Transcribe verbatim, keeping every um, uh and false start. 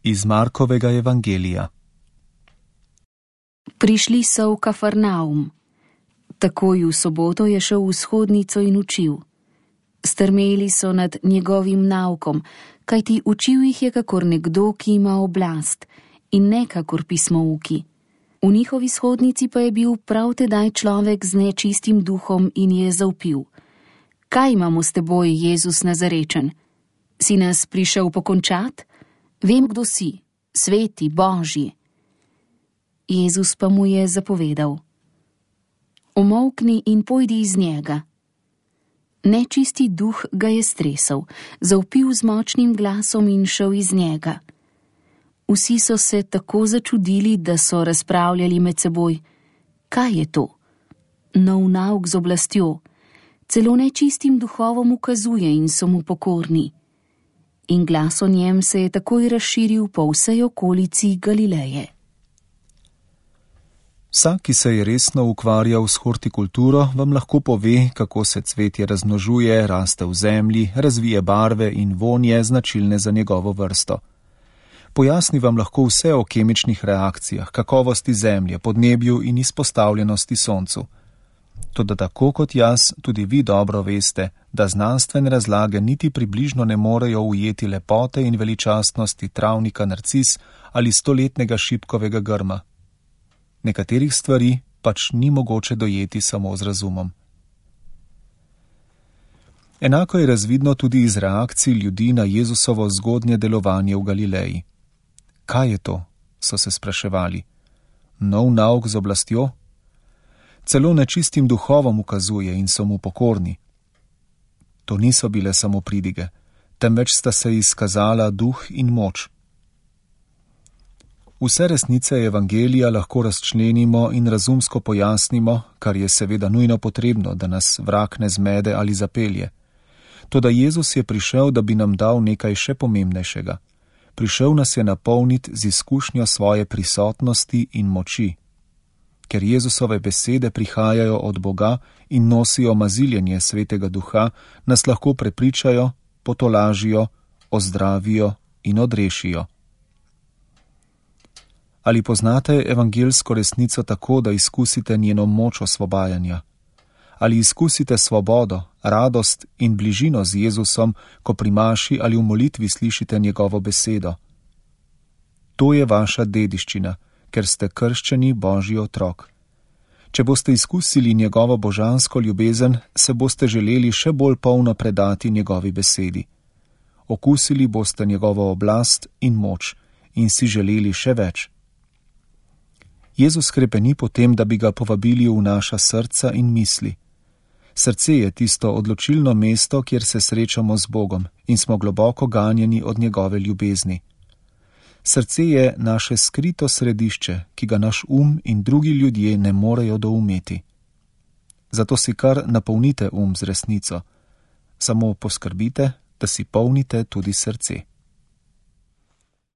Iz Markovega evangelija. Prišli so v Kafarnaum. Takoj v soboto je šel v shodnico in učil. Strmeli so nad njegovim naukom, kajti učil jih je kakor nekdo, ki ima oblast, in ne kakor pismouki. V njihovi shodnici pa je bil prav tedaj človek z nečistim duhom in je zavpil: Kaj imamo s teboj, Jezus Nazarečen? Si nas prišel pokončat? Vem, kdo si, sveti, Božji. Jezus pa mu je zapovedal: Umolkni in pojdi iz njega. Nečisti duh ga je stresel, zavpil z močnim glasom in šel iz njega. Vsi so se tako začudili, da so razpravljali med seboj: Kaj je to? Nov nauk z oblastjo, celo nečistim duhovom ukazuje in so mu pokorni. In glas o njem se je takoj razširil po vsej okolici Galileje. Vsak, ki se je resno ukvarjal s hortikulturo, vam lahko pove, kako se cvetje razmnožuje, raste v zemlji, razvije barve in vonje značilne za njegovo vrsto. Pojasni vam lahko vse o kemičnih reakcijah, kakovosti zemlje, podnebju in izpostavljenosti soncu. Toda tako kot jaz, tudi vi dobro veste, da znanstvene razlage niti približno ne morejo ujeti lepote in veličastnosti travnika narcis ali stoletnega šipkovega grma. Nekaterih stvari pač ni mogoče dojeti samo z razumom. Enako je razvidno tudi iz reakcij ljudi na Jezusovo zgodnje delovanje v Galileji. Kaj je to? So se spraševali. Nov nauk z oblastjo? Celo nečistim duhovom ukazuje in so mu pokorni. To niso bile samo pridige, temveč sta se izkazala duh in moč. Vse resnice evangelija lahko razčlenimo in razumsko pojasnimo, kar je seveda nujno potrebno, da nas vrag ne zmede ali zapelje. Toda Jezus je prišel, da bi nam dal nekaj še pomembnejšega. Prišel nas je napolniti z izkušnjo svoje prisotnosti in moči. Ker Jezusove besede prihajajo od Boga in nosijo maziljenje Svetega Duha, nas lahko prepričajo, potolažijo, ozdravijo in odrešijo. Ali poznate evangelsko resnico tako, da izkusite njeno moč osvobajanja? Ali izkusite svobodo, radost in bližino z Jezusom, ko pri maši ali v molitvi slišite njegovo besedo? To je vaša dediščina, ker ste krščeni Božji otrok. Če boste izkusili njegovo božansko ljubezen, se boste želeli še bolj polno predati njegovi besedi. Okusili boste njegovo oblast in moč in si želeli še več. Jezus krepeni po tem, da bi ga povabili v naša srca in misli. Srce je tisto odločilno mesto, kjer se srečamo z Bogom in smo globoko ganjeni od njegove ljubezni. Srce je naše skrito središče, ki ga naš um in drugi ljudje ne morejo doumeti. Zato si kar napolnite um z resnico. Samo poskrbite, da si polnite tudi srce.